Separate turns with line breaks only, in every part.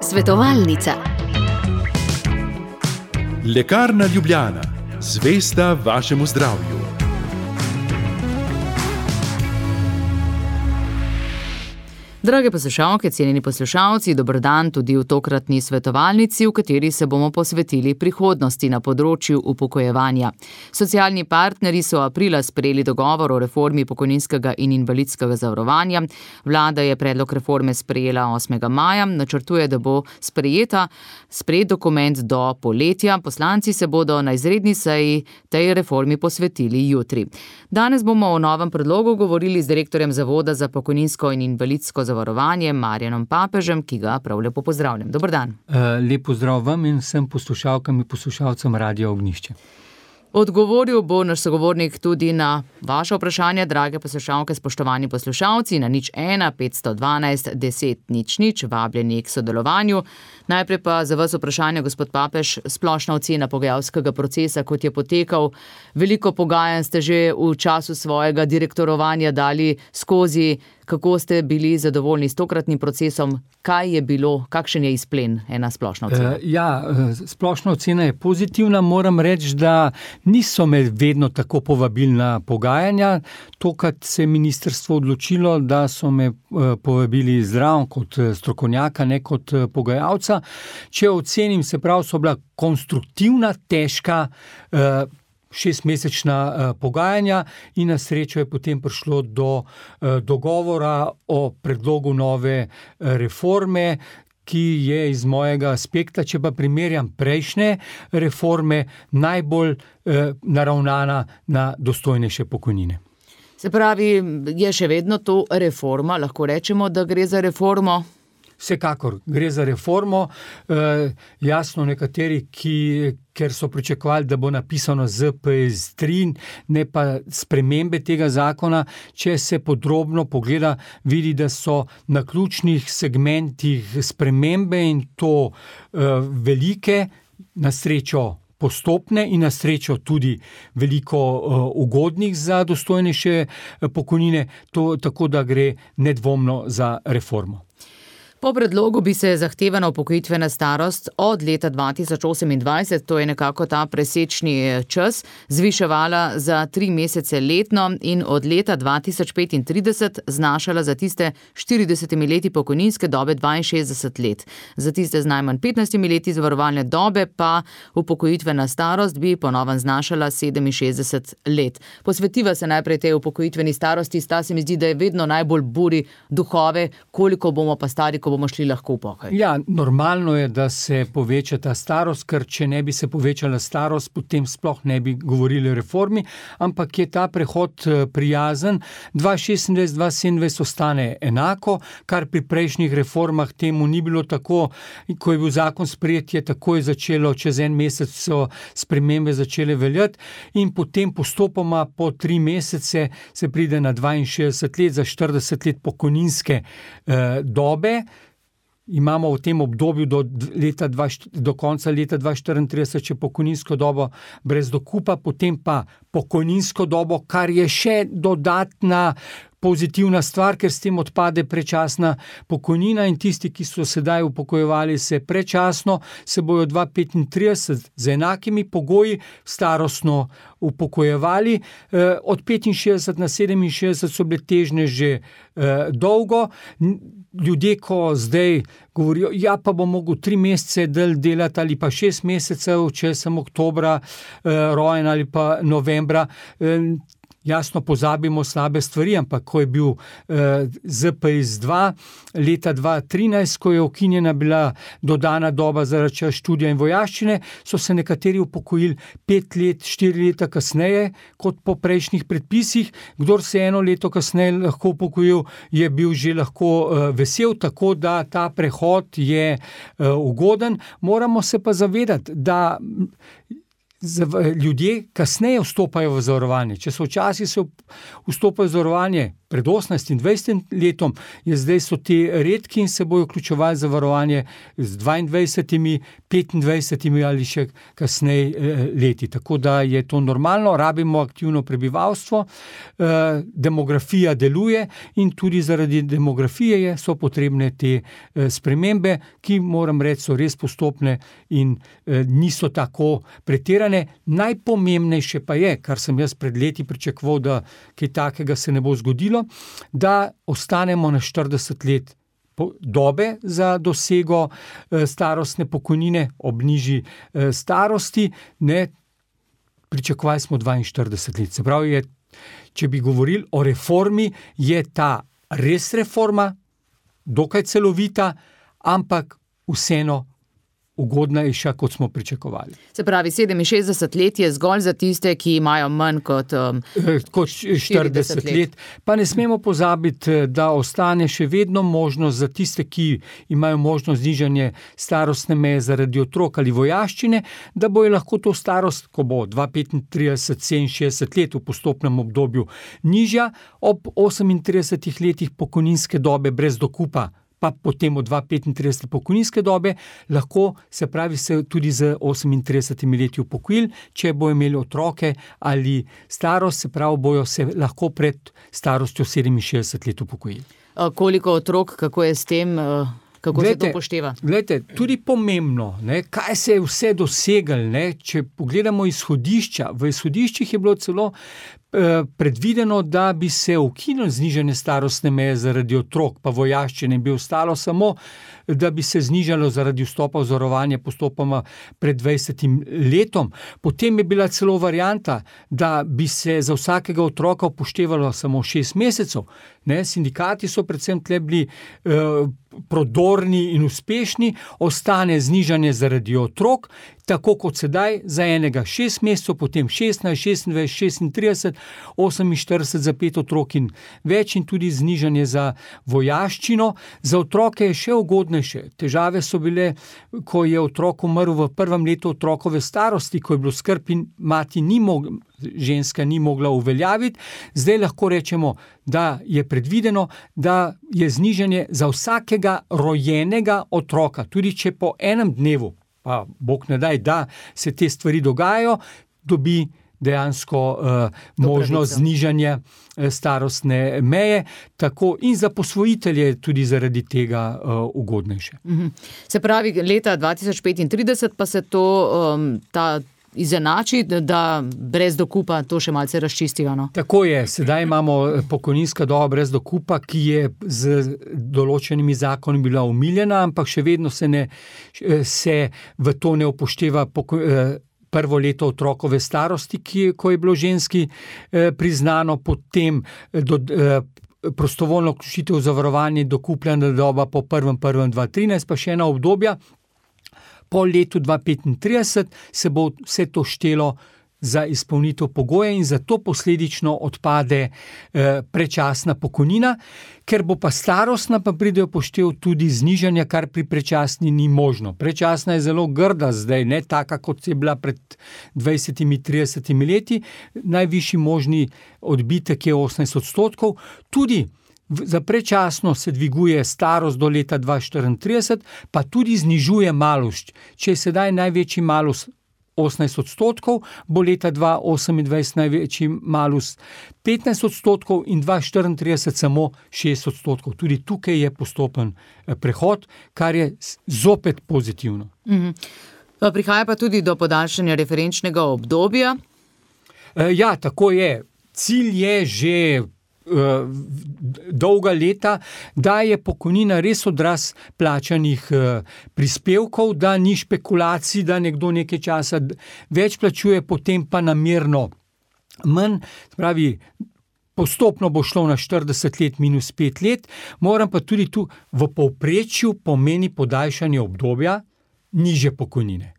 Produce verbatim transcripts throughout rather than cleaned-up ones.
Svetovalnica.
Lekarna Ljubljana, zvesta vašemu zdravju.
Drage poslušalke, cenjeni poslušalci, dober dan tudi v tokratni svetovalnici, v kateri se bomo posvetili prihodnosti na področju upokojevanja. Socialni partnerji so aprila sprejeli dogovor o reformi pokojninskega in invalidskega zavarovanja. Vlada je predlog reforme sprejela osmega maja, načrtuje, da bo sprejeta sprejet dokument do poletja. Poslanci se bodo na izredni seji tej reformi posvetili jutri. Danes bomo o novem predlogu govorili z direktorjem Zavoda za pokojninsko in invalidsko zavarovanje Marjanom Papežem, ki ga prav lepo pozdravljam. Dober dan.
Lep pozdrav vam in vsem poslušalkam in poslušalcem Radia Ognjišče.
Odgovoril bo naš sogovornik tudi na vaše vprašanje, drage poslušalke, spoštovani poslušalci, na nič ena petsto dvanajst deset nič nič, vabljeni k sodelovanju. Najprej pa za vas vprašanje, gospod Papež, splošna ocena pogajalskega procesa, kot je potekal. Veliko pogajanj ste že v času svojega direktorovanja dali skozi. Kako ste bili zadovoljni s tokratnim procesom? Kaj je bilo, kakšen je izplen, ena splošna ocena?
Uh, ja, splošna ocena je pozitivna. Moram reči, da niso me vedno tako povabili na pogajanja. Tokrat se je ministrstvo odločilo, da so me uh, povabili zraven kot strokovnjaka, ne kot uh, pogajalca. Če ocenim, se pravi, so bila konstruktivna, težka, uh, šestmesečna uh, pogajanja in na srečo je potem prišlo do uh, dogovora o predlogu nove uh, reforme, ki je iz mojega aspekta, če pa primerjam prejšnje reforme, najbolj uh, naravnana na dostojnejše pokojnine.
Se pravi, je še vedno to reforma, lahko rečemo, da gre za reformo?
Vsekakor gre za reformo, e, jasno nekateri, ki, ker so pričakovali, da bo napisano Z P S tri, ne pa spremembe tega zakona, če se podrobno pogleda, vidi, da so na ključnih segmentih spremembe in to e, velike, na srečo postopne in na srečo tudi veliko uh, ugodnih za dostojnejše pokojnine, to, tako da gre nedvomno za reformo.
Po predlogu bi se zahtevana upokojitvena starost od leta dva tisoč osemindvajset, to je nekako ta presečni čas, zviševala za tri mesece letno in od leta dva tisoč petintrideset znašala za tiste štiridesetimi leti pokojninske dobe dvainšestdeset let. Za tiste z najmanj petnajstimi leti zavarovalne dobe pa upokojitvena starost bi po novem znašala sedeminšestdeset let. Posvetiva se najprej tej upokojitveni starosti, sta se mi zdi, da je vedno najbolj buri duhove, koliko bomo pa stari, bomo šli lahko v pokoj.
Ja, normalno je, da se poveča ta starost, ker če ne bi se povečala starost, potem sploh ne bi govorili o reformi, ampak je ta prehod prijazen. dva šestindvajset dva sedemindvajset ostane enako, kar pri prejšnjih reformah temu ni bilo tako. Ko je bil zakon sprejet, je takoj začelo, čez en mesec so spremembe začele veljati in potem postopoma po tri mesece se pride na dvainšestdeset let, za štirideset let pokojninske eh, dobe. Imamo v tem obdobju do, leta dva, do konca leta dva tisoč štiriintrideset še pokojninsko dobo brez dokupa, potem pa pokojninsko dobo, kar je še dodatna pozitivna stvar, ker s tem odpade prečasna pokojnina in tisti, ki so sedaj upokojevali se prečasno, se bojo dva tisoč petintrideset z enakimi pogoji starostno upokojevali. E, od petinšestdeset na sedeminšestdeset so bile težnje že e, dolgo. Ljudje, ko zdaj govorijo, ja, pa bom mogel tri mesece del delati ali pa šest mesecev, če sem oktobra e, rojen ali pa novembra, e, jasno pozabimo slabe stvari, ampak ko je bil eh, Z P S dva leta dva tisoč trinajst, ko je ukinjena bila dodana doba zaradi časa študija in vojaščine, so se nekateri upokojili pet let, štiri leta kasneje kot po prejšnjih predpisih. Kdor se eno leto kasneje lahko upokojil, je bil že lahko eh, vesel, tako da ta prehod je eh, ugoden. Moramo se pa zavedati, da ljudje kasneje vstopajo v zavarovanje. Če so včasih se vstopajo v zavarovanje pred osemnajstim, dvajsetim letom, je zdaj so ti redki in se bojo vključevali zavarovanje z dvaindvajsetimi, petindvajsetimi ali še kasneje leti. Tako da je to normalno, rabimo aktivno prebivalstvo, demografija deluje in tudi zaradi demografije so potrebne te spremembe, ki moram reči, so res postopne in niso tako pretirane. Najpomembnejše pa je, kar sem jaz pred leti pričakoval, da kaj takega se ne bo zgodilo, da ostanemo na štirideset let dobe za dosego starostne pokojnine ob nižji starosti. Ne, pričakovali smo dvainštirideset let. Se pravi, je, če bi govorili o reformi, je ta res reforma, dokaj celovita, ampak vseeno ugodnejša, kot smo pričakovali.
Se pravi, sedeminšestdeset let je zgolj za tiste, ki imajo manj kot, um,
kot štirideset let. let. Pa ne smemo pozabiti, da ostane še vedno možnost za tiste, ki imajo možnost znižanje starostne meje zaradi otrok ali vojaščine, da bojo lahko to starost, ko bo dva petintrideset, sedeminšestdeset let v postopnem obdobju nižja, ob osemintridesetih letih pokojninske dobe brez dokupa, pa potem od dva petintrideset pokojninske dobe, lahko se pravi se tudi z osemintridesetimi leti upokojili, če bojo imeli otroke ali starost, se pravi bojo se lahko pred starostjo sedeminšestdeset let upokojili.
Koliko otrok, kako je s tem, kako glede, se to upošteva?
Glede, tudi pomembno, ne, kaj se je vse doseglo, ne, če pogledamo izhodišča, v izhodiščih je bilo celo predvideno, da bi se ukinilo znižanje starostne meje zaradi otrok, pa vojaščine, bi ostalo samo, da bi se znižalo zaradi vstopa v zavarovanje postopoma pred dvajsetim letom. Potem je bila celo varianta, da bi se za vsakega otroka upoštevalo samo šest mesecev. Ne, sindikati so predvsem tle bili eh, prodorni in uspešni, ostane znižanje zaradi otrok, tako kot sedaj, za enega šest mesecev, potem šestnajst, šestindvajset, šestintrideset, oseminštirideset za pet otrok in več in tudi znižanje za vojaščino. Za otroke je še ugodnejše. Težave so bile, ko je otrok umrl v prvem letu otrokove starosti, ko je bilo skrb in mati ni mogla, ženska ni mogla uveljaviti. Zdaj lahko rečemo, da je predvideno, da je znižanje za vsakega rojenega otroka, tudi če po enem dnevu, pa Bog ne daj, da se te stvari dogajajo, dobi dejansko uh, možnost znižanja uh, starostne meje, tako in za posvojitelje tudi zaradi tega uh, ugodnejše.
Mhm. Se pravi, leta dva tisoč petintrideset pa se to, um, ta izenači, da brez dokupa to še malce razčistijo, no?
Tako je, sedaj imamo pokojninska doba brez dokupa, ki je z določenimi zakoni bila omiljena, ampak še vedno se, ne, se v to ne upošteva poko, prvo leto otrokove starosti, ki, ko je bilo ženski eh, priznano, potem do, eh, prostovoljno vključitev v zavarovanje, dokupljena doba po prvem prvem dva trinajst, pa še ena obdobja. Po letu dva petintrideset se bo vse to štelo za izpolnitev pogoja in zato posledično odpade eh, prečasna pokojnina, ker bo pa starostna, pa pride v poštev tudi znižanja, kar pri prečasni ni možno. Prečasna je zelo grda zdaj, ne taka, kot je bila pred dvajsetimi, tridesetimi leti. Najvišji možni odbitek je osemnajst odstotkov. Tudi za prečasno se dviguje starost do leta dva štiriintrideset, pa tudi znižuje malus. Če je sedaj največji malus osemnajst odstotkov, bo leta dva osemindvajset največji malus petnajst odstotkov in dva štiriintrideset samo šest odstotkov. Tudi tukaj je postopen prehod, kar je zopet pozitivno.
Mhm. Prihaja pa tudi do podaljšanja referenčnega obdobja?
Ja, tako je. Cilj je že dolga leta, da je pokojnina res odraz plačanih prispevkov, da ni špekulacij, da nekdo nekaj časa več plačuje, potem pa namerno manj. Pravi, postopno bo šlo na štirideset let minus pet let, moram pa tudi tu v povprečju pomeni podaljšanje obdobja nižje pokojnine.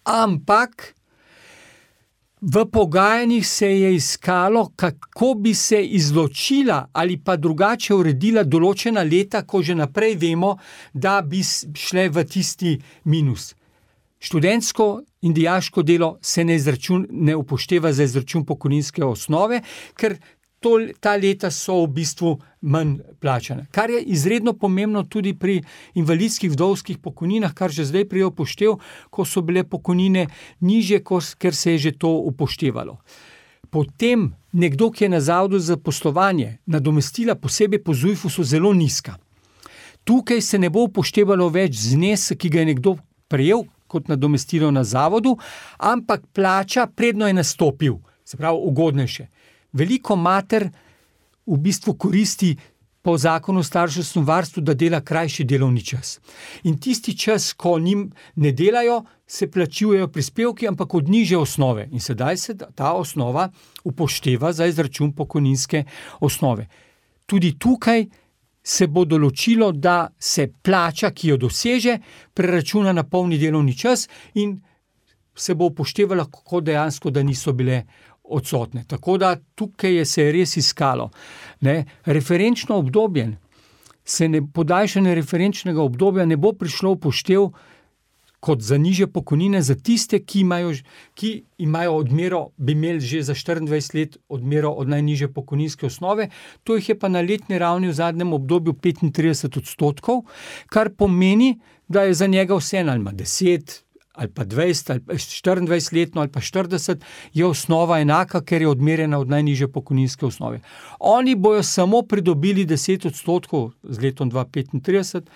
Ampak v pogajanjih se je iskalo, kako bi se izločila ali pa drugače uredila določena leta, ko že naprej vemo, da bi šle v tisti minus. Študentsko in dijaško delo se ne, izračun, ne upošteva za izračun pokojninske osnove, ker to, ta leta so v bistvu manj plačane. Kar je izredno pomembno tudi pri invalidskih vdovskih pokojninah, kar že zdaj prije upoštev, ko so bile pokojnine nižje, ker se je že to upoštevalo. Potem nekdo, ki je na zavodu za zaposlovanje, nadomestila posebej po ZUJF-u so zelo nizka. Tukaj se ne bo upoštevalo več znesek, ki ga je nekdo prejel kot nadomestilo na zavodu, ampak plača predno je nastopil, se pravi ugodnejše. Veliko mater v bistvu koristi po zakonu o starševskem varstvu, da dela krajši delovni čas. In tisti čas, ko njim ne delajo, se plačujejo prispevki, ampak od nižje osnove. In sedaj se ta osnova upošteva za izračun pokojninske osnove. Tudi tukaj se bo določilo, da se plača, ki jo doseže, preračuna na polni delovni čas in se bo upoštevalo, kako dejansko, da niso bile odsotne. Tako da tukaj je se res iskalo. Ne? Referenčno obdobje, se ne, podaljšanje referenčnega obdobja ne bo prišlo upoštev kot za nižje pokojnine za tiste, ki imajo, ki imajo odmero, bi imeli že za štiriindvajset let odmero od najnižje pokojninske osnove, to jih je pa na letni ravni v zadnjem obdobju petintrideset odstotkov, kar pomeni, da je za njega vseeno ali ima deset ali pa dvajset ali pa štiriindvajset letno ali pa štirideset, je osnova enaka, ker je odmerjena od najnižje pokojninske osnove. Oni bojo samo pridobili deset odstotkov z letom dva petintrideset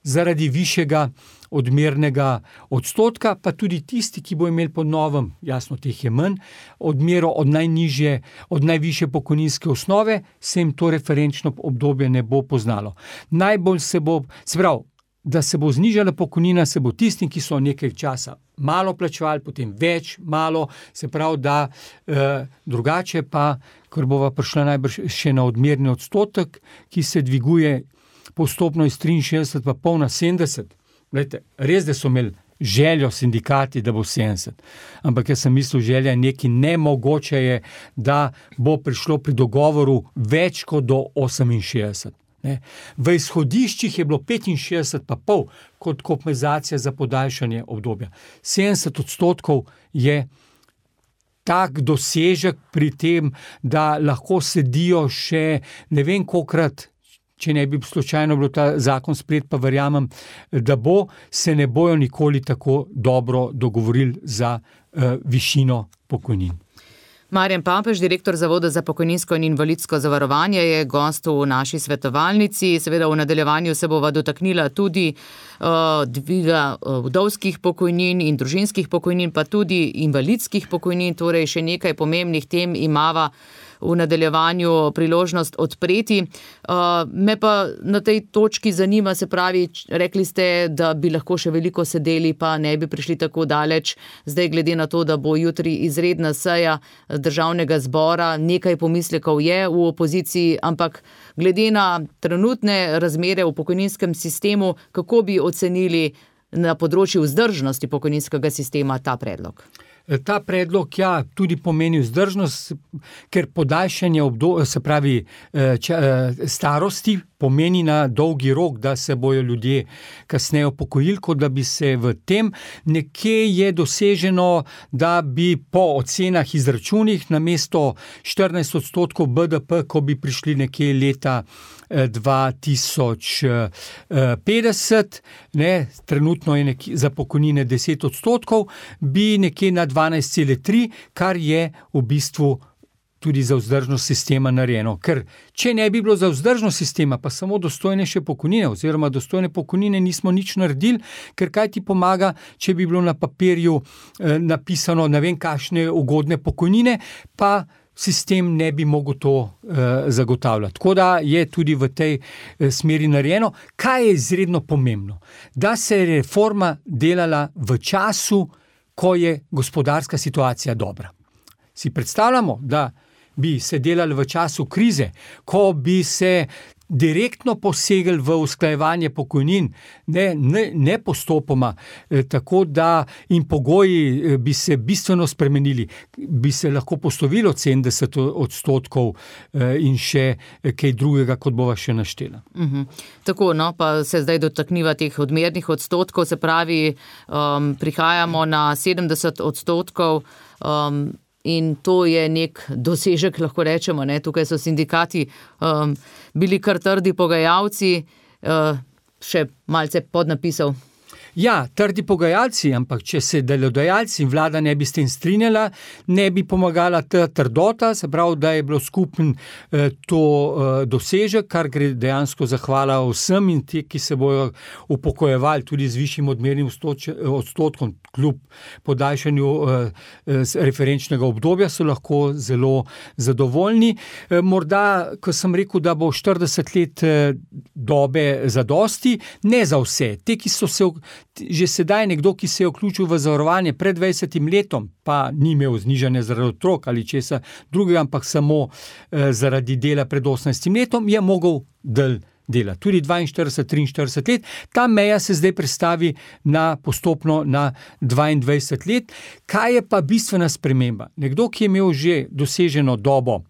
zaradi višjega odmernega odstotka, pa tudi tisti, ki bo imeli po novem, jasno, teh je manj, odmero od najnižje, od najvišje pokojninske osnove, se jim to referenčno obdobje ne bo poznalo. Najbolj se bo, se pravi, da se bo znižala pokojnina, se bo tistim, ki so nekaj časa malo plačevali, potem več, malo, se pravi, da eh, drugače pa, ker bova prišla najbrž še na odmerni odstotek, ki se dviguje postopno iz triinšestdeset pa pol na sedemdeset. Glejte, res, da so imeli željo sindikati, da bo sedemdeset. Ampak jaz sem mislil, želja je nekaj nemogoče je, da bo prišlo pri dogovoru več kot do oseminšestdeset. Ne. V izhodiščih je bilo petinšestdeset pa pol kot kompenzacija za podaljšanje obdobja. sedemdeset odstotkov je tak dosežek pri tem, da lahko sedijo še ne vem kolikrat, če ne bi slučajno bilo ta zakon sprejet, pa verjamem, da bo, se ne bojo nikoli tako dobro dogovorili za uh, višino pokojnin.
Marjan Papež, direktor Zavoda za pokojninsko in invalidsko zavarovanje, je gost v naši svetovalnici. Seveda v nadaljevanju se bova dotaknila tudi uh, dviga uh, vdovskih pokojnin in družinskih pokojnin, pa tudi invalidskih pokojnin, torej še nekaj pomembnih tem imava v nadaljevanju priložnost odpreti. Uh, me pa na tej točki zanima, se pravi, rekli ste, da bi lahko še veliko sedeli, pa ne bi prišli tako daleč. Zdaj, glede na to, da bo jutri izredna seja Državnega zbora, nekaj pomislekov je v opoziciji, ampak glede na trenutne razmere v pokojninskem sistemu, kako bi ocenili na področju vzdržnosti pokojninskega sistema ta predlog?
Ta predlog, ja, tudi pomeni vzdržnost, ker podaljšanje obdobja, se pravi če, starosti, pomeni na dolgi rok, da se bojo ljudje kasneje upokojili, kot da bi se v tem. Nekje je doseženo, da bi po ocenah izračunih namesto štirinajst odstotkov B D P, ko bi prišli nekje leta dva tisoč petdeset, ne, trenutno je nekje za pokojnine deset odstotkov, bi nekje na dvanajst celih tri, kar je v bistvu tudi za vzdržnost sistema narejeno. Ker če ne bi bilo za vzdržnost sistema, pa samo dostojnejše pokojnine, oziroma dostojne pokojnine nismo nič naredili, ker kaj ti pomaga, če bi bilo na papirju eh, napisano ne vem kakšne ugodne pokojnine, pa sistem ne bi mogel to eh, zagotavljati. Tako da je tudi v tej eh, smeri narejeno. Kaj je izredno pomembno? Da se je reforma delala v času, ko je gospodarska situacija dobra. Si predstavljamo, da bi se delali v času krize, ko bi se direktno posegli v usklajevanje pokojnin, ne, ne, ne postopoma, eh, tako da in pogoji eh, bi se bistveno spremenili, bi se lahko poslovilo sedemdeset odstotkov eh, in še eh, kaj drugega, kot bova še naštela.
Uh-huh. Tako, no, pa se zdaj dotakniva teh odmernih odstotkov, se pravi, um, prihajamo na sedemdeset odstotkov, um, in to je nek dosežek, lahko rečemo, ne? Tukaj so sindikati um, bili kar trdi pogajalci, uh, še malce podnapisal.
Ja, trdi pogajalci, ampak če se delodajalci in vlada ne bi s tem strinjala, ne bi pomagala ta trdota, se pravi, da je bilo skupen eh, to eh, dosežek, kar gre dejansko zahvala vsem in ti, ki se bojo upokojevali tudi z višjim odmernim odstotkom, kljub podaljšanju eh, referenčnega obdobja, so lahko zelo zadovoljni. Eh, morda, ko sem rekel, da bo štirideset let eh, dobe zadosti, ne za vse. Te, ki so se že sedaj nekdo, ki se je vključil v zavarovanje pred dvajsetim letom, pa ni imel znižanja zaradi otrok ali česa drugega, ampak samo eh, zaradi dela pred osemnajstim letom, je mogel del dela. Tudi dvainštirideset, triinštirideset let. Ta meja se zdaj prestavi na postopno na dvaindvajset let. Kaj je pa bistvena sprememba? Nekdo, ki je imel že doseženo dobo,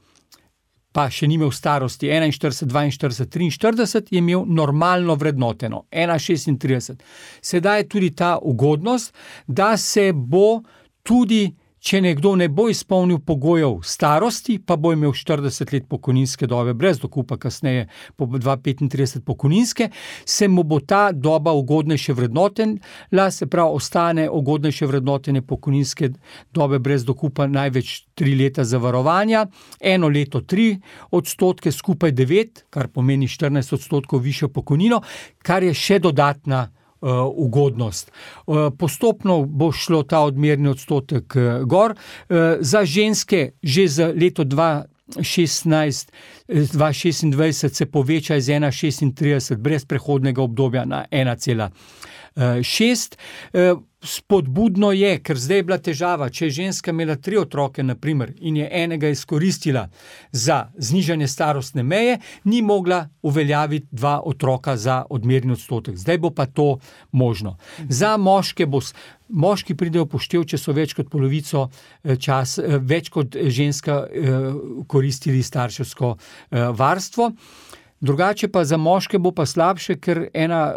pa še ni imel starosti enainštirideset, dvainštirideset, triinštirideset, je imel normalno vrednoteno, ena šestintrideset. Sedaj je tudi ta ugodnost, da se bo tudi, če nekdo ne bo izpolnil pogojev starosti, pa bo imel štirideset let pokojninske dobe brez dokupa, kasneje po dva petintrideset pokojninske, se mu bo ta doba ugodnejše vrednotenja, se pravi, ostane ugodnejše vrednotenje pokojninske dobe brez dokupa največ tri leta zavarovanja, eno leto tri odstotke, skupaj devet, kar pomeni štirinajst odstotkov višjo pokojnino, kar je še dodatna Uh, ugodnost. Uh, postopno bo šlo ta odmerni odstotek uh, gor. Uh, za ženske že za leto dva šestnajst, dva šestindvajset se poveča iz ena šestintrideset brez prehodnega obdobja na ena cela šest. Uh, spodbudno je, ker zdaj je bila težava, če je ženska imela tri otroke, na primer, in je enega izkoristila za znižanje starostne meje, ni mogla uveljaviti dva otroka za odmerni odstotek. Zdaj bo pa to možno. Za moške bo, moški pridejo poštev, če so več kot polovico čas, več kot ženska koristili starševsko varstvo. Drugače pa za moške bo pa slabše, ker ena,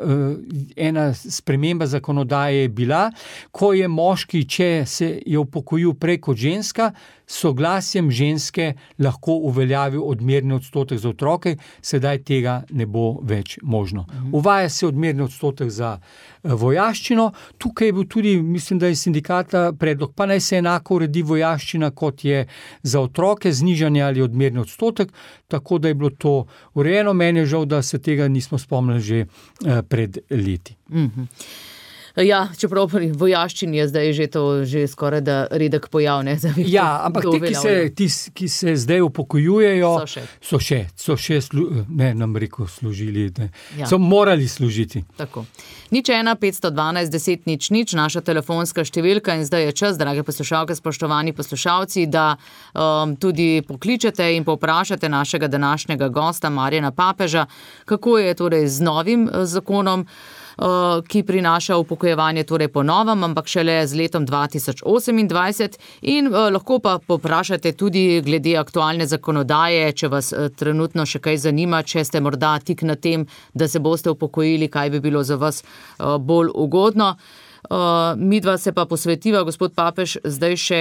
ena sprememba zakonodaje je bila, ko je moški, če se je upokojil prej kot ženska, soglasjem ženske lahko uveljavil odmerni odstotek za otroke, sedaj tega ne bo več možno. Uvaja se odmerni odstotek za vojaščino, tukaj je bil tudi, mislim, da je sindikata predlog, pa naj se enako uredi vojaščina, kot je za otroke, znižanje ali odmerni odstotek, tako da je bilo to urejeno. Meni je žal, da se tega nismo spomnili že pred leti.
Mhm. Ja, čeprav pri vojaščini je zdaj že to že skoraj da redek pojav, ne?
Ja, ampak ti, ki se, ti, ki se zdaj upokojujejo,
so še,
so še, so še slu, ne, nam rekel, služili, ne,
ja.
So morali služiti.
Tako. Nič ena, petsto dvanajst, deset, nič, nič, naša telefonska številka in zdaj je čas, drage poslušalke, spoštovani poslušalci, da um, tudi pokličete in povprašate našega današnjega gosta, Marjana Papeža, kako je torej z novim zakonom, ki prinaša upokojevanje torej po novem, ampak šele z letom dva tisoč osemindvajset in uh, lahko pa poprašate tudi glede aktualne zakonodaje, če vas uh, trenutno še kaj zanima, če ste morda tik na tem, da se boste upokojili, kaj bi bilo za vas uh, bolj ugodno. Uh, midva se pa posvetiva, gospod Papež, zdaj še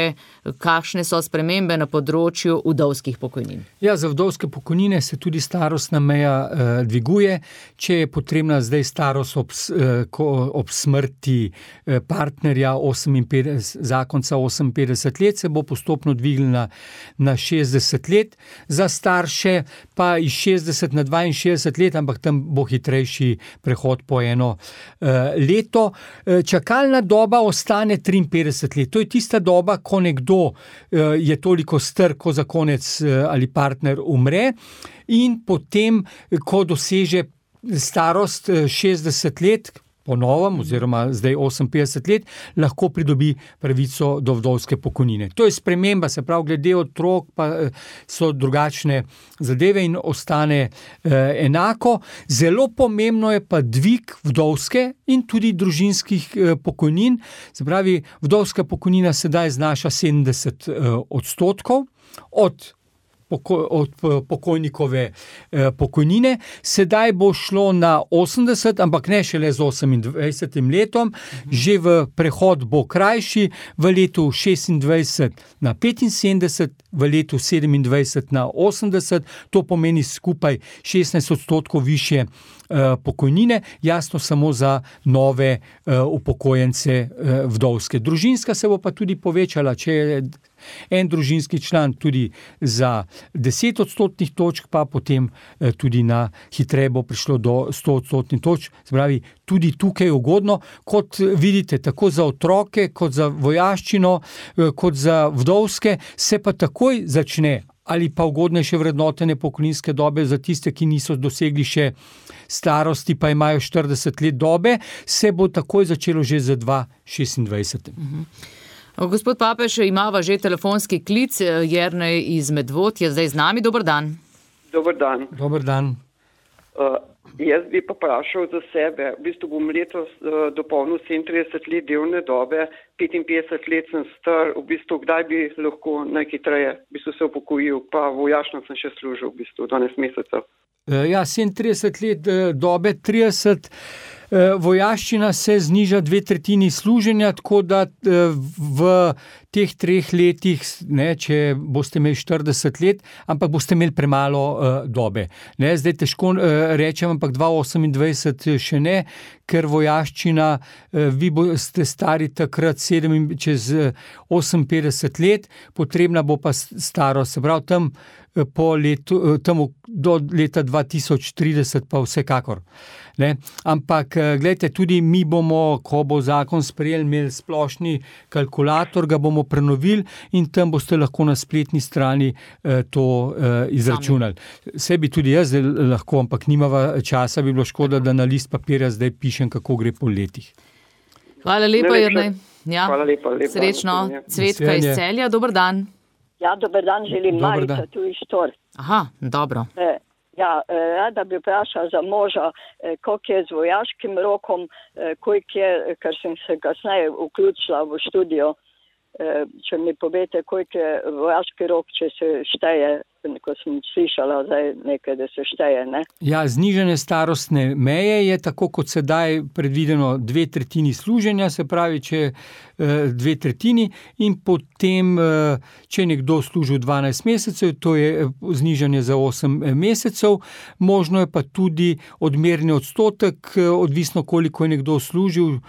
kakšne so spremembe na področju vdovskih pokojnin.
Ja, za vdovske pokojnine se tudi starostna meja uh, dviguje, če je potrebna zdaj starost ob, uh, ko, ob smrti uh, partnerja oseminpetdeset, zakonca oseminpetdeset let, se bo postopno dvignila na šestdeset let, za starše pa iz šestdeset na dvainšestdeset let, ampak tam bo hitrejši prehod po eno uh, leto. Uh, čaka Čakalna doba ostane triinpetdeset let. To je tista doba, ko nekdo uh, je toliko star, ko zakonec uh, ali partner umre in potem, ko doseže starost uh, šestdeset let, po novem, oziroma zdaj oseminpetdeset let, lahko pridobi pravico do vdovske pokojnine. To je sprememba, se pravi, glede otrok pa so drugačne zadeve in ostane eh, enako. Zelo pomembno je pa dvig vdovske in tudi družinskih eh, pokojnin. Se pravi, vdovska pokojnina sedaj znaša sedemdeset eh, odstotkov od poko, od pokojnikove pokojnine. Sedaj bo šlo na osemdeset, ampak ne šele z osemindvajsetim letom, že v prehod bo krajši, v letu šestindvajset na petinsedemdeset, v letu sedemindvajset na osemdeset, to pomeni skupaj šestnajst odstotkov više pokojnine, jasno samo za nove upokojence vdovske. Družinska se bo pa tudi povečala, če je en družinski član tudi za deset odstotnih točk, pa potem tudi na hitreje bo prišlo do sto odstotnih točk. Spravi, tudi tukaj je ugodno, kot vidite, tako za otroke, kot za vojaščino, kot za vdovske, se pa takoj začne ali pa ugodnejše vrednotenje pokojninske dobe za tiste, ki niso dosegli še starosti, pa imajo štirideset let dobe, se bo takoj začelo že za dva šestindvajset.
Mhm. Gospod Papež, imava že telefonski klic, Jernej iz Medvod je zdaj z nami, dober dan.
Dober dan.
Dober dan.
Uh, jaz bi pa vprašal za sebe, v bistvu bom letos uh, dopolnil sedemintrideset let delovne dobe, petinpetdeset let sem star, v bistvu kdaj bi lahko najhitreje v bistvu se upokojil, pa vojašno sem še služil v bistvu dvanajst mesecev.
Ja, sedemintrideset let dobe, trideset vojaščina se zniža dve tretjini služenja, tako da v teh treh letih, ne, če boste imeli štirideset let, ampak boste imeli premalo uh, dobe. Ne, zdaj težko uh, rečem, ampak dva osemindvajset še ne, ker vojaščina, uh, vi boste stari takrat sedem, čez oseminpetdeset let, potrebna bo pa starost, se pravi tam po letu, tam do leta dva tisoč trideset pa vsekakor. Ne? Ampak, gledajte, tudi mi bomo, ko bo zakon sprejel, imeli splošni kalkulator, ga bomo prenovili in tam boste lahko na spletni strani eh, to eh, izračunali. Vse bi tudi jaz lahko, ampak nimava časa, bi bilo škoda, da na list papirja zdaj pišem, kako gre po letih.
Hvala lepa, Jernej. Ja.
Hvala lepa, lepa.
Srečno. Cvetka iz Celja, dober dan.
Ja, dober dan, želim
Dobar
Marica,
dan.
tu iz Štor.
Aha, dobro.
E, ja, e, rada bi vprašala za moža, e, koliko je z vojaškim rokom, e, koliko je, ker sem se kasneje vključila v študijo, e, če mi povete, koliko je vojaški rok, če se šteje, ko sem slišala zdaj nekaj, da se šteje, ne?
Ja, znižanje starostne meje je tako, kot sedaj predvideno dve tretjini služenja, se pravi, če dve tretjini in potem, če nekdo služil dvanajst mesecev, to je znižanje za osem mesecev, možno je pa tudi odmerni odstotek, odvisno koliko je nekdo služil,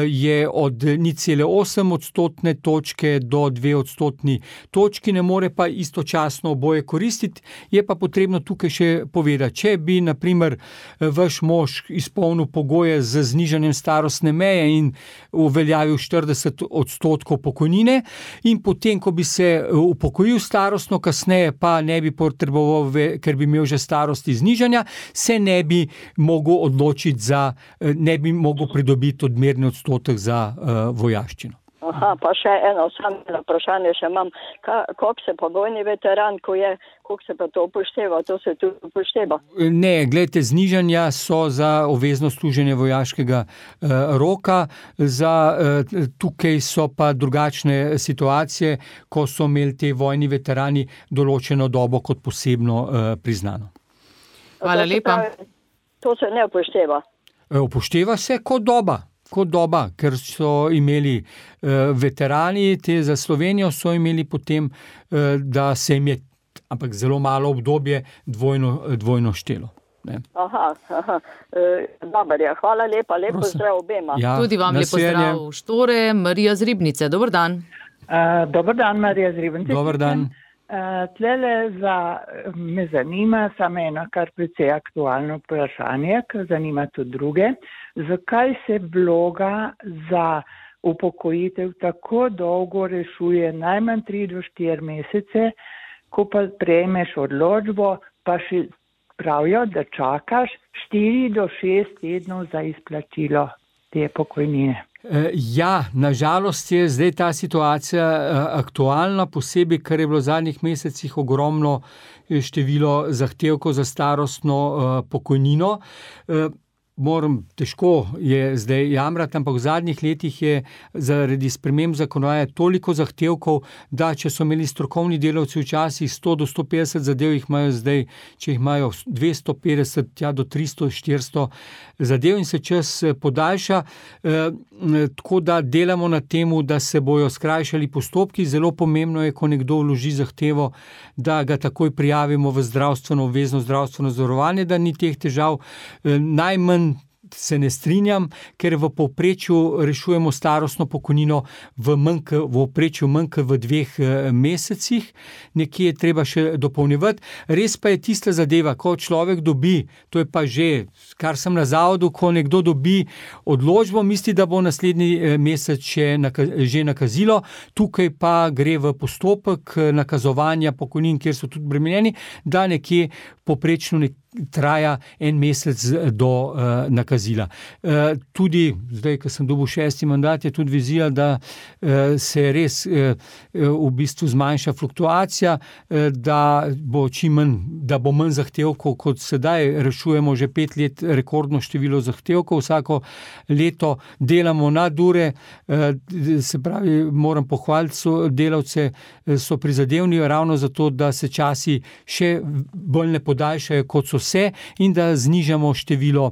je od nič cela osem odstotne točke do dve odstotni točki, ne more pa istočasno oboje koristiti, je pa potrebno tukaj še povedati, če bi, na primer, vaš mož izpolnil pogoje z znižanjem starostne meje in uveljavil štirideset odstotkov pokojnine in potem, ko bi se upokojil starostno, kasneje pa ne bi potreboval, ker bi imel že starosti znižanja, se ne bi mogel odločiti za, ne bi mogel pridobiti odmerni odstotek za uh, vojaščino.
Aha, pa še eno samo vprašanje še imam. Koliko se pa vojni veteran, ko je, koliko se pa to upošteva? To se tu upošteva?
Ne, gledajte, znižanja so za obvezno služenje vojaškega uh, roka, za, uh, tukaj so pa drugačne situacije, ko so imeli te vojni veterani določeno dobo kot posebno uh, priznano.
Hvala
To se
lepa.
pravi, To se ne upošteva.
Uh, upošteva se kot doba. kot doba, ker so imeli uh, veterani, te za Slovenijo so imeli potem, uh, da se jim je, ampak zelo malo obdobje, dvojno, dvojno štelo. Ne.
Aha, aha. E, dober je, hvala lepa, lepo
Prosim.
zdrav obema.
Ja,
Tudi vam lepo
nasvidenje.
zdrav. Štore, Marija z Ribnice, dober dan.
Uh, dober dan, Marija z Ribnice.
Dober dan.
Uh, tlele za, me zanima samo eno kar precej aktualno vprašanje, ker zanima tudi druge. Zakaj se vloga za upokojitev tako dolgo rešuje najmanj tri do štiri mesece, ko pa prejmeš odločbo, pa še pravijo, da čakaš štiri do šest tednov za izplačilo te pokojnine?
Ja, nažalost je zdaj ta situacija aktualna, posebej, ker je bilo v zadnjih mesecih ogromno število zahtevkov za starostno pokojnino. moram, težko je zdaj jamrati, ampak v zadnjih letih je zaradi sprememb zakonodaje toliko zahtevkov, da če so imeli strokovni delavci včasih sto do sto petdeset zadev, jih imajo zdaj, če jih imajo dvesto petdeset, ja do tristo, štiristo zadev in se čas podaljša. E, tako da delamo na temu, da se bojo skrajšali postopki. Zelo pomembno je, ko nekdo vloži zahtevo, da ga takoj prijavimo v zdravstveno, obvezno zdravstveno zavarovanje, da ni teh težav. E, najmanj se ne strinjam, ker v povprečju rešujemo starostno pokojnino v manj, v povprečju manj v dveh mesecih, nekje je treba še dopolnjevati. Res pa je tista zadeva, ko človek dobi, to je pa že, kar sem na zavodu, ko nekdo dobi odločbo, misli, da bo naslednji mesec še naka, že nakazilo, tukaj pa gre v postopek nakazovanja pokojnin, kjer so tudi bremenjeni, da nekje povprečno nek traja en mesec do uh, nakazila. Uh, tudi, zdaj, ko sem dobil šesti mandat, je tudi vizija, da uh, se res uh, v bistvu zmanjša fluktuacija, uh, da bo čim manj, da bo manj zahtevkov, kot sedaj rešujemo že pet let rekordno število zahtevkov, vsako leto delamo nadure, uh, se pravi, moram pohvaliti so delavce, so prizadevni ravno zato, da se časi še bolj ne podaljšajo, kot so vse in da znižamo število,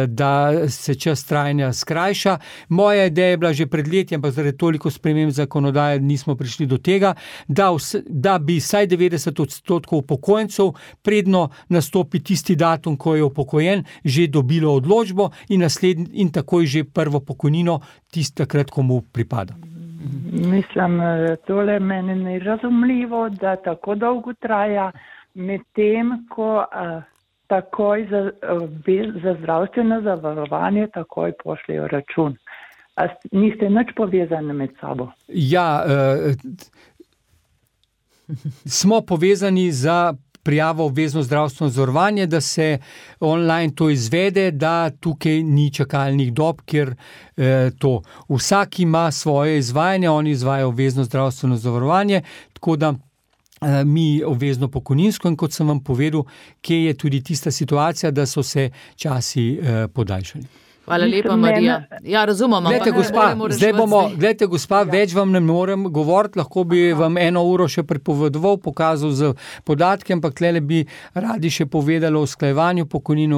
da se čas trajanja skrajša. Moja ideja je bila že pred leti, ampak zaradi toliko sprememb zakonodaje nismo prišli do tega, da, vse, da bi vsaj devetdeset odstotkov upokojencev predno nastopi tisti datum, ko je upokojen, že dobilo odločbo in, naslednj, in takoj že prvo pokojnino tisti takrat, ko mu pripada.
Mislim, tole meni ni razumljivo, da tako dolgo traja, medtem ko uh, takoj za, uh, za zdravstveno zavarovanje takoj pošljejo račun. A niste nič povezani med sabo?
Ja, uh, smo povezani za prijavo obvezno zdravstveno zavarovanje, da se online to izvede, da tukaj ni čakalnih dob, ker eh, to vsak ima svoje izvajanje, oni izvajajo obvezno zdravstveno zavarovanje, tako da eh, mi obvezno pokojninsko in kot sem vam povedal, kje je tudi tista situacija, da so se časi eh, podaljšali.
Hvala lepa, Marija. Ja, razumem.
Glejte, gospa, zdaj bomo, glejte, gospa, ja. Več vam ne morem govoriti, lahko bi Aha. vam eno uro še pripovedoval, pokazal z podatki, ampak tlele bi radi še povedali o usklajevanju pokojnin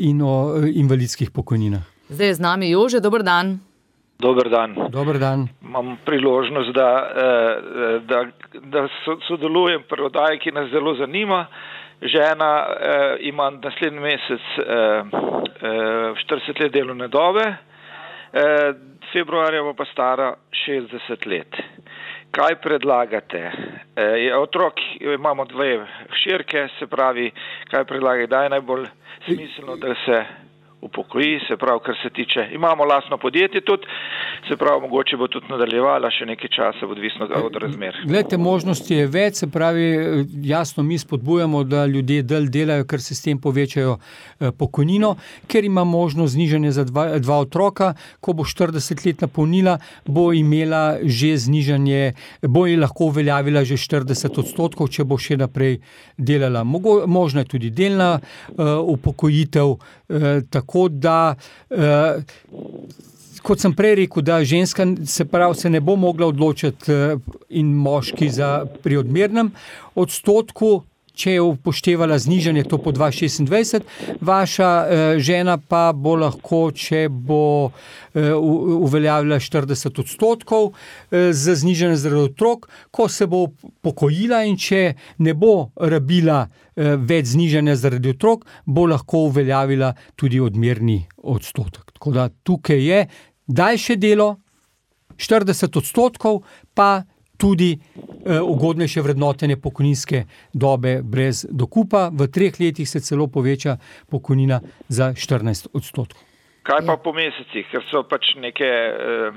in o invalidskih pokojninah.
Zdaj je z nami Jože, dober dan.
Dober dan.
Dober dan.
Imam priložnost, da, da, da sodelujem pri oddaji, ki nas zelo zanima. Žena eh, ima naslednji mesec eh, eh, štirideset let delovne dobe, eh, februarja bo pa stara šestdeset let. Kaj predlagate? Eh, otrok, imamo dve hčerke, se pravi, kaj predlagate, da je najbolj smiselno, da se upokoji, se pravi, kar se tiče, imamo lastno podjetje tudi, se pravi, mogoče bo tudi nadaljevala še nekaj časa, odvisno od razmer.
Glejte, možnosti je več, se pravi, jasno mi spodbujamo, da ljudje del delajo, ker se s tem povečajo pokojnino, ker ima možnost znižanje za dva, dva otroka, ko bo štirideset let napolnila, bo imela že znižanje, bo ji lahko uveljavila že štirideset odstotkov, če bo še naprej delala. Mogo, možna je tudi delna uh, upokojitev, uh, tako da, eh, kot sem prej rekel, da ženska se pravi, se ne bo mogla odločiti eh, in moški za pri odmernem odstotku, če je upoštevala znižanje to po dva šestindvajset, vaša eh, žena pa bo lahko, če bo eh, uveljavila štirideset odstotkov eh, za znižanje zaradi otrok, ko se bo pokojila in če ne bo rabila eh, več znižanja zaradi otrok, bo lahko uveljavila tudi odmerni odstotek. Tako da tukaj je daljše delo, štirideset odstotkov, pa tudi eh, ugodnejše vrednotenje pokojninske dobe brez dokupa. V treh letih se celo poveča pokojnina za štirinajst odstotkov.
Kaj pa po mesecih, ker so pač neke uh,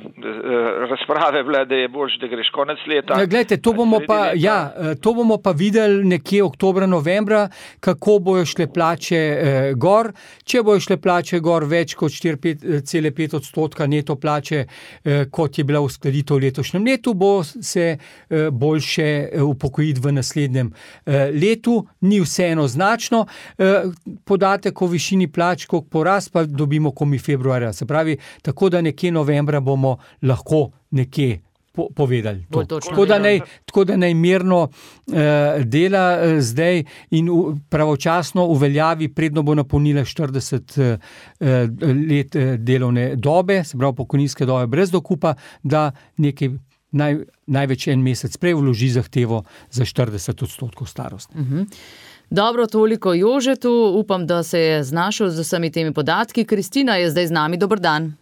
razprave bile, da je boljše, da greš konec leta.
Ja, glejte, to bomo pa, ja, to bomo pa videli nekje oktobra, novembra, kako bojo šle plače eh, gor. Če bojo šle plače gor več kot štiri cela pet odstotka neto plače, eh, kot je bila uskladitev v letošnjem letu, bo se eh, boljše upokojiti v naslednjem eh, letu. Ni vseeno značno. Eh, podatek o višini plač, koliko porast, pa dobimo komi februarja. Se pravi, tako da nekje novembra bomo lahko nekje po, povedali. To. Tako, da naj, tako da naj mirno eh, dela eh, zdaj in u, pravočasno uveljavi, predno bo napolnila štirideset eh, let eh, delovne dobe, se pravi pokojninske dobe brez dokupa, da nekaj naj, največ en mesec prej vloži zahtevo za štirideset odstotkov starosti.
Uh-huh. Dobro, toliko Jožetu, upam, da se je znašel z vsemi temi podatki. Kristina je zdaj z nami, dober dan.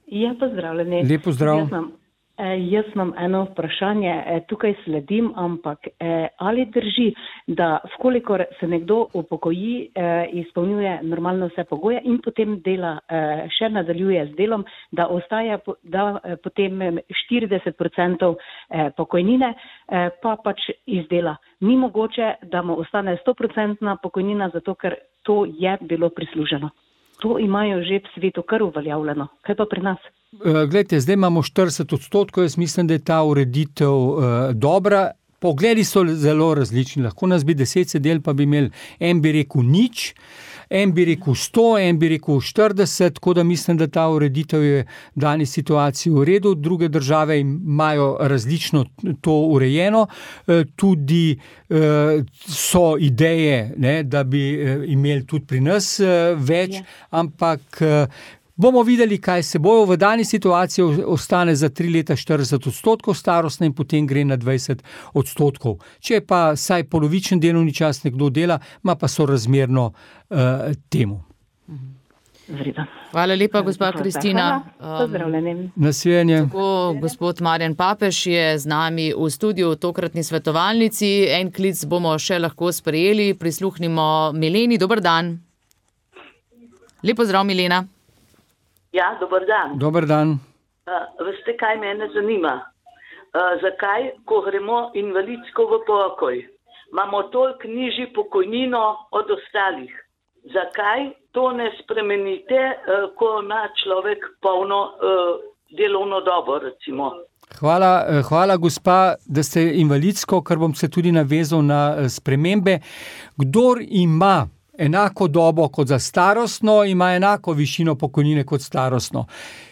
Ja, pozdravljeni.
Lep pozdrav.
Jaz imam, eh, jaz imam eno vprašanje, eh, tukaj sledim, ampak eh, ali drži, da vkolikor se nekdo upokoji, eh, izpolnjuje normalno vse pogoje in potem dela, eh, še nadaljuje z delom, da ostaja da, eh, potem štirideset procentov eh, pokojnine, eh, pa pač izdela. Ni mogoče, da mu ostane sto procentna pokojnina, zato ker to je bilo prisluženo. To imajo že v svetu kar uveljavljeno. Kaj pa pri nas?
Glejte, zdaj imamo štirideset odstotkov, jaz mislim, da je ta ureditev uh, dobra. Pogledi so zelo različni, lahko nas bi deset sedel, pa bi imeli, en bi rekel nič, en bi rekel sto, en bi rekel štirideset, tako da mislim, da ta ureditev je v dani situaciji v redu. Druge države imajo različno to urejeno, tudi so ideje, ne, da bi imeli tudi pri nas več, ja. Ampak bomo videli, kaj se bojo. V dani situaciji ostane za tri leta štirideset odstotkov starostne in potem gre na dvajset odstotkov. Če pa saj polovičen delovni čas nekdo dela, ima pa sorazmerno uh, temu.
Vreda.
Hvala lepa, gospa Kristina.
Pozdravljeni.
Nasvidenje.
Tako, gospod Marjan Papež je z nami v studiu, tokratni svetovalnici. En klic bomo še lahko sprejeli. Prisluhnimo Mileni. Dober dan. Lep pozdrav, Milena.
Ja, dober dan.
Dober dan.
Uh, veste, kaj mene zanima? Uh, zakaj, ko gremo invalidsko v pokoj, imamo toliko nižji pokojnino od ostalih? Zakaj to ne spremenite, uh, ko ima človek polno uh, delovno dobo, recimo?
Hvala, hvala, gospa, da ste invalidsko, ker bom se tudi navezal na spremembe. Kdor ima enako dobo kot za starostno, ima enako višino pokojnine kot starostno.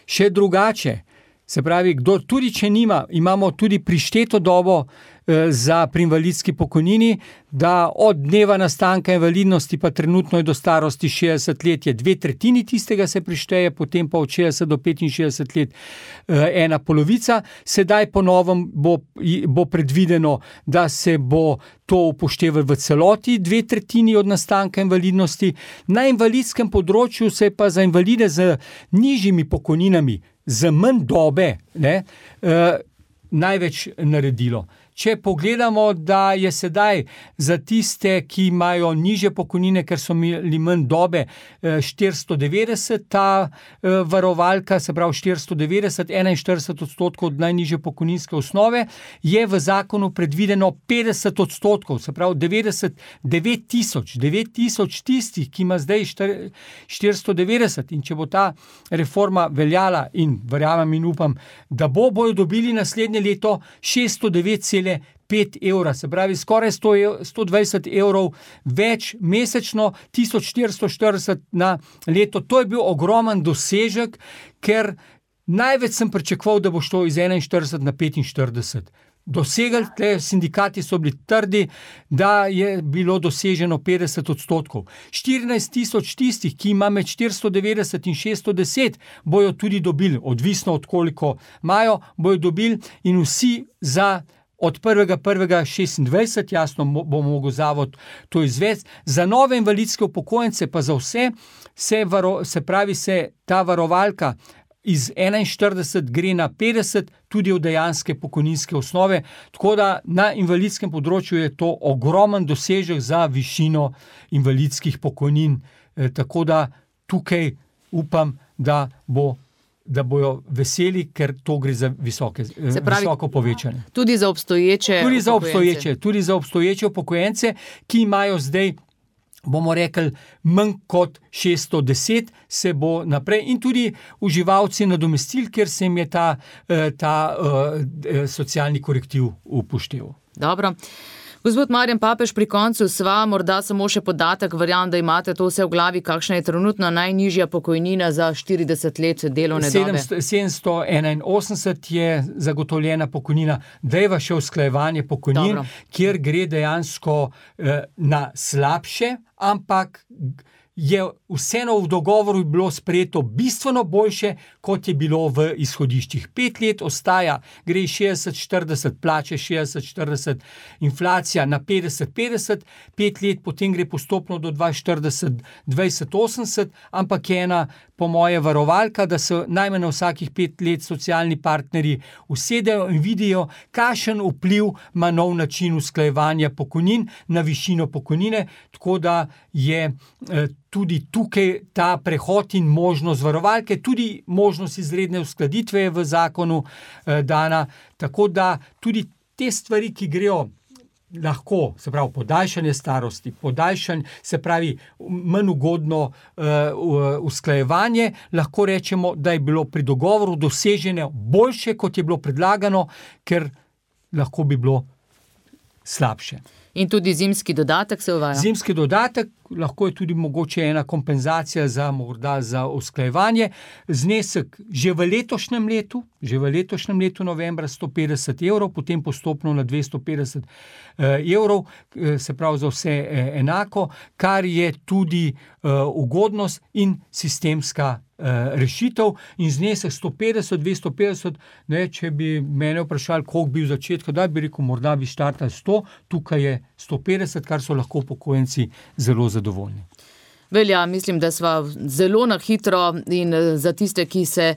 Še drugače, se pravi, kdo tudi če nima, imamo tudi prišteto dobo eh, za pri invalidski pokojnini, da od dneva nastanka invalidnosti pa trenutno je do starosti šestdeset let, je dve tretjini tistega se prišteje, potem pa od šestdeset do petinšestdeset let eh, ena polovica. Sedaj po novem bo, bo predvideno, da se bo to upoštevali v celoti, dve tretjini od nastanka invalidnosti. Na invalidskem področju se je pa za invalide z nižjimi pokojninami, z manj dobe, ne, eh, največ naredilo. Če pogledamo, da je sedaj za tiste, ki imajo nižje pokojnine, ker so imeli manj dobe, štiristo devetdeset, ta varovalka, se pravi štiristo devetdeset, enainštirideset odstotkov od najnižje pokojninske osnove, je v zakonu predvideno petdeset odstotkov, se pravi devetdeset, devet tisoč, devet tisoč tistih, ki ima zdaj štiristo devetdeset, in če bo ta reforma veljala in verjamem in upam, da bo, bojo dobili naslednje leto šeststo devet celih pet evra, se pravi skoraj sto, sto dvajset evrov več mesečno, tisoč štiristo štirideset na leto. To je bil ogromen dosežek, ker največ sem pričakoval, da bo šlo iz enainštirideset na petinštirideset. Dosegli, tle sindikati so bili trdi, da je bilo doseženo petdeset odstotkov. štirinajst tisoč tistih, ki ima med štiristo devetdeset in šeststo deset, bojo tudi dobili, odvisno od koliko imajo, bojo dobili in vsi za od prvega prvega šestindvajset, jasno bo mogel zavod to izvesti. Za nove invalidske upokojence, pa za vse, se, varo, se pravi, se ta varovalka iz enainštirideset gre na petdeset, tudi od dejanske pokojninske osnove, tako da na invalidskem področju je to ogromen dosežek za višino invalidskih pokojnin, e, tako da tukaj upam, da bo da bojo veseli, ker to gre za visoke, pravi, visoko povečanje.
Tudi za obstoječe
tudi za obstoječe, tudi za obstoječe upokojence, ki imajo zdaj, bomo rekli, manj kot šeststo deset, se bo naprej in tudi uživalci nadomestil, ker se jim je ta, ta uh, socialni korektiv upošteval.
Dobro. Gospod Marjan Papež, pri koncu sva, morda samo še podatek, verjamem, da imate to vse v glavi, kakšna je trenutno najnižja pokojnina za štirideset let delovne dobe?
sedemsto enainosemdeset je zagotovljena pokojnina, dejva še usklajevanje pokojnin, Dobro. Kjer gre dejansko eh, na slabše, ampak je vseeno v dogovoru bilo sprejeto bistveno boljše, kot je bilo v izhodiščih. Pet let ostaja, gre šestdeset štirideset, plače šestdeset štirideset, inflacija na petdeset petdeset, pet let potem gre postopno do dvainštirideset dvajset osemdeset, ampak je ena po moje varovalka, da se najmanj na vsakih pet let socialni partnerji usedejo in vidijo, kakšen vpliv ima nov način usklajevanja pokojnin na višino pokojnine, tako da je eh, tudi tukaj ta prehod in možnost varovalke, tudi možnost izredne uskladitve je v zakonu eh, dana, tako da tudi te stvari, ki grejo lahko, se pravi podaljšanje starosti, podaljšanje, se pravi manj ugodno uh, usklajevanje, lahko rečemo, da je bilo pri dogovoru doseženo boljše, kot je bilo predlagano, ker lahko bi bilo slabše.
In tudi zimski dodatek se uvaja?
Zimski dodatek, lahko je tudi mogoče ena kompenzacija za morda za usklajevanje. Znesek že v letošnjem letu, že v letošnjem letu novembra sto petdeset evrov, potem postopno na dvesto petdeset evrov, se pravi za vse enako, kar je tudi ugodnost in sistemska rešitev in znesek sto petdeset, dvesto petdeset, ne, če bi mene vprašali, koliko bi v začetku, da bi rekel, morda bi štartali sto, tukaj je sto petdeset, kar so lahko upokojenci zelo zadovoljni.
Velja, mislim, da sva zelo na hitro in za tiste, ki se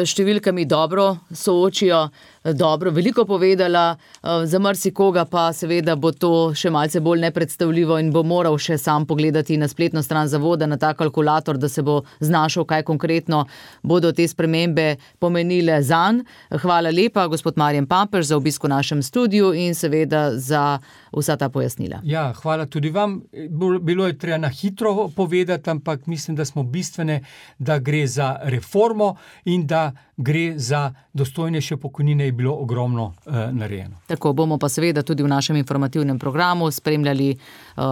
številkami dobro soočijo, dobro, veliko povedala, za marsikoga pa seveda bo to še malce bolj nepredstavljivo in bo moral še sam pogledati na spletno stran zavoda, na ta kalkulator, da se bo znašel, kaj konkretno bodo te spremembe pomenile zanj. Hvala lepa, gospod Marjan Papež, za obisk v našem studiu in seveda za vsa ta pojasnila.
Ja, hvala tudi vam. Bilo je treba na hitro povedati, ampak mislim, da smo bistvene, da gre za reformo in da gre za dostojnejše pokojnine, je bilo ogromno uh, narejeno.
Tako bomo pa seveda tudi v našem informativnem programu spremljali uh,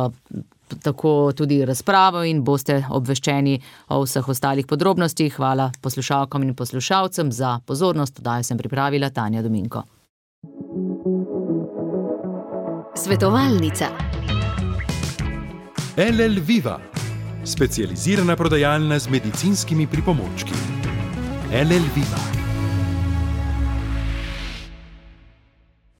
tako tudi razpravo in boste obveščeni o vseh ostalih podrobnostih. Hvala poslušalkam in poslušalcem za pozornost. Oddajo sem pripravila Tanja Dominko.
Svetovalnica.
L L Viva, specializirana prodajalna z medicinskimi pripomočki. L L Viva.